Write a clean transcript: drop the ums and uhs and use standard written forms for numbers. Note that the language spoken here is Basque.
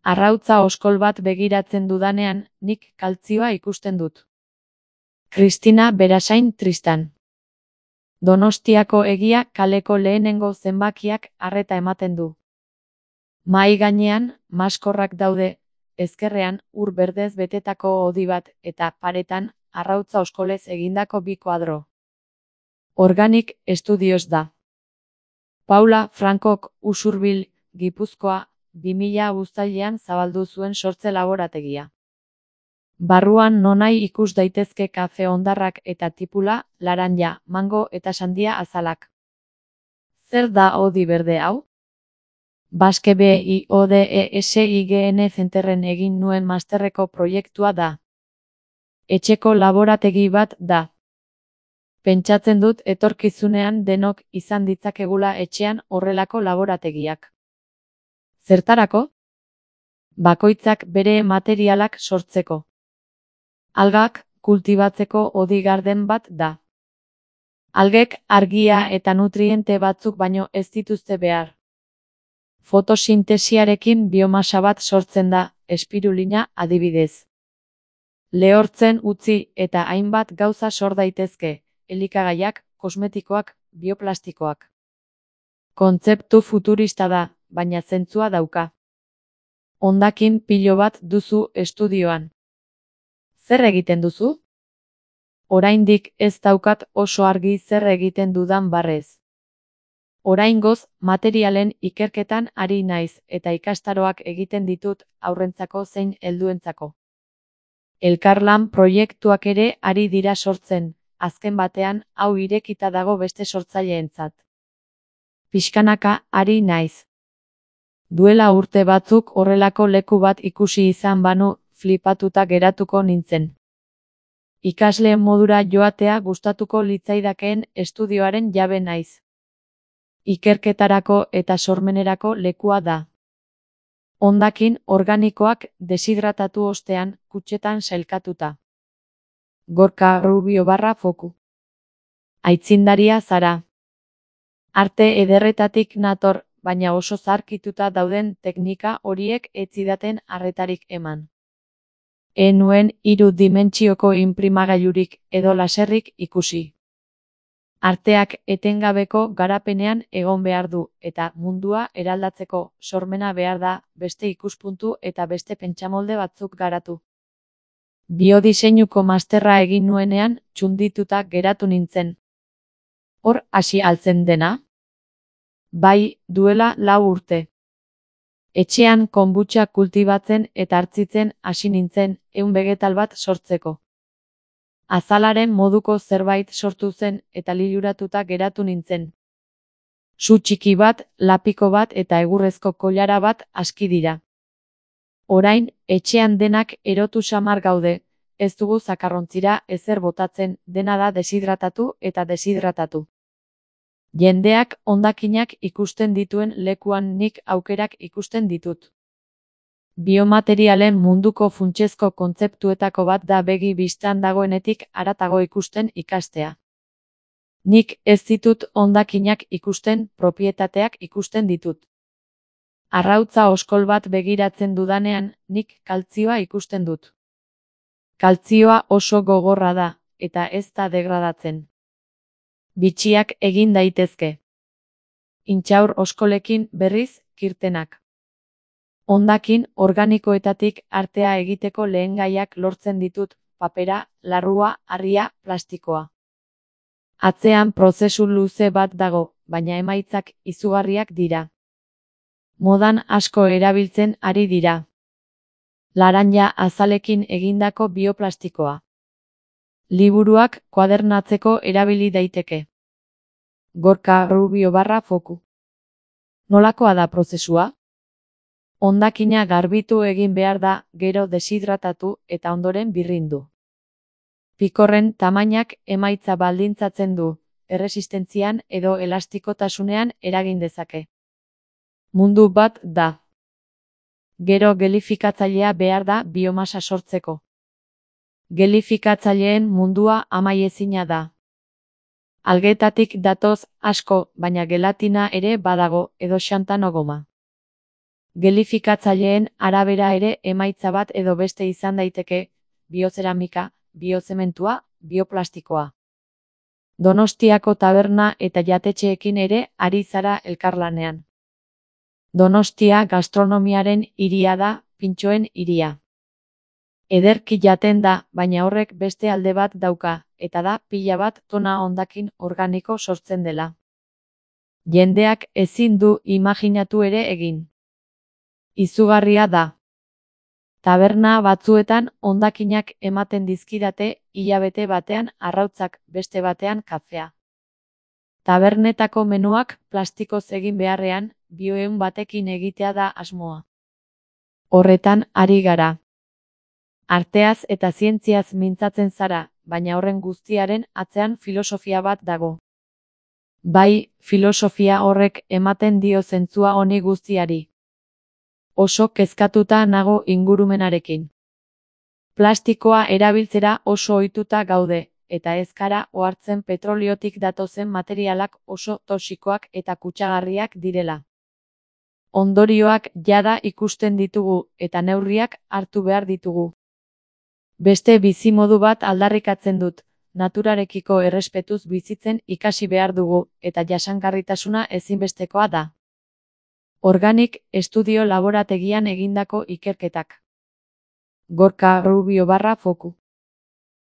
Arrautza oskol bat begiratzen dudanean, nik kaltzioa ikusten dut. Kristina Berasain Tristan. Donostiako Egia kaleko lehenengo zenbakiak arreta ematen du. Mahai gainean, maskorrak daude, ezkerrean ur berdez betetako hodi bat eta paretan arrautza oskolez egindako bi koadro. Organic Studios da. Paula Frankok Usurbil, Gipuzkoa, 2000 uztailean zabaldu zuen sortze laborategia. Barruan nonahi ikus daitezke kafe hondarrak eta tipula, laranja, mango eta sandia azalak. Zer da hodi berde hau? Basque BIODESIGN Centerren egin nuen masterreko proiektua da. Etxeko laborategi bat da. Pentsatzen dut etorkizunean denok izan ditzakegula etxean horrelako laborategiak. Zertarako? Bakoitzak bere materialak sortzeko. Algak kultibatzeko hodi garden bat da. Algek argia eta nutriente batzuk baino ez dituzte behar. Fotosintesiarekin biomasa bat sortzen da, espirulina adibidez. Lehortzen utzi eta hainbat gauza sor daitezke, elikagaiak, kosmetikoak, bioplastikoak. Kontzeptu futurista da, baina zentzua dauka. Hondakin pilo bat duzu estudioan. Zer egiten duzu? Oraindik ez daukat oso argi zer egiten dudan barrez. Oraingoz, materialen ikerketan ari naiz eta ikastaroak egiten ditut haurrentzako zein helduentzako. Elkarlan proiektuak ere ari dira sortzen, azken batean hau irekita dago beste sortzaileentzat. Pixkanaka ari naiz. Duela urte batzuk horrelako leku bat ikusi izan banu, flipatuta geratuko nintzen. Ikasle modura joatea gustatuko litzaidakeen estudioaren jabe naiz. Ikerketarako eta sormenerako lekua da. Hondakin organikoak deshidratatu ostean, kutxetan sailkatuta. Gorka Rubio _foku. Aitzindaria zara. Arte ederretatik nator, baina oso zarkituta dauden teknika horiek ez zidaten arretarik eman. Nuen 3 dimentsioko inprimagailurik edo laserrik ikusi. Arteak etengabeko garapenean egon behar du, eta mundua eraldatzeko sormena behar da beste ikuspuntu eta beste pentsamolde batzuk garatu. Biodiseinuko masterra egin nuenean txundituta geratu nintzen. Hor hasi altzen dena? Bai, duela 4 urte. Etxean konbutxa kultibatzen eta hartzitzen hasi nintzen, vegetal bat sortzeko. Azalaren moduko zerbait sortu zen eta liluratuta geratu nintzen. Su txiki bat, lapiko bat eta egurrezko koilara bat aski dira. Orain, etxean denak erotu samar gaude, ez dugu zakarrontzira ezer botatzen, dena da deshidratatu eta deshidratatu. Jendeak hondakinak ikusten dituen lekuan nik aukerak ikusten ditut. Biomaterialen munduko funtsezko kontzeptuetako bat da begi bistan dagoenetik haratago ikusten ikastea. Nik ez ditut hondakinak ikusten, propietateak ikusten ditut. Arrautza oskol bat begiratzen dudanean, nik kaltzioa ikusten dut. Kaltzioa oso gogorra da, eta ez da degradatzen. Bitxiak egin daitezke. Intxaur oskolekin berriz, kirtenak. Hondakin organikoetatik artea egiteko lehengaiak lortzen ditut, papera, larrua, harria, plastikoa. Atzean prozesu luze bat dago, baina emaitzak izugarriak dira. Modan asko erabiltzen ari dira. Laranja azalekin egindako bioplastikoa. Liburuak kuadernatzeko erabili daiteke. Gorka Rubio _foku. Nolakoa da prozesua? Hondakina garbitu egin behar da, gero deshidratatu eta ondoren birrindu. Pikorren tamainak emaitza baldintzatzen du, erresistentzian edo elastikotasunean eragin dezake. Mundu bat da. Gero gelifikatzailea behar da biomasa sortzeko. Gelifikatzaileen mundua amaiezina da. Algetatik datoz asko, baina gelatina ere badago edo xantano goma. Gelifikatzaileen arabera ere emaitza bat edo beste izan daiteke, biozeramika, biozementua, bioplastikoa. Donostiako taberna eta jatetxeekin ere ari zara elkarlanean. Donostia gastronomiaren hiria da, pintxoen hiria. Ederki jaten da, baina horrek beste alde bat dauka, eta da pila bat tona hondakin organiko sortzen dela. Jendeak ezin du imajinatu ere egin. Izugarria da. Taberna batzuetan hondakinak ematen dizkidate, hilabete batean arrautzak, beste batean kafea. Tabernetako menuak plastikoz egin beharrean, bioehun batekin egitea da asmoa. Horretan ari gara. Arteaz eta zientziaz mintzatzen zara, baina horren guztiaren atzean filosofia bat dago. Bai, filosofia horrek ematen dio zentzua honi guztiari. Oso kezkatuta nago ingurumenarekin. Plastikoa erabiltzera oso ohituta gaude, eta ez gara ohartzen petroliotik datozen materialak oso toxikoak eta kutsagarriak direla. Ondorioak jada ikusten ditugu, eta neurriak hartu behar ditugu. Beste bizimodu bat aldarrikatzen dut, naturarekiko errespetuz bizitzen ikasi behar dugu, eta jasangarritasuna ezinbestekoa da. Organic Estudio laborategian egindako ikerketak. Gorka Rubio _Foku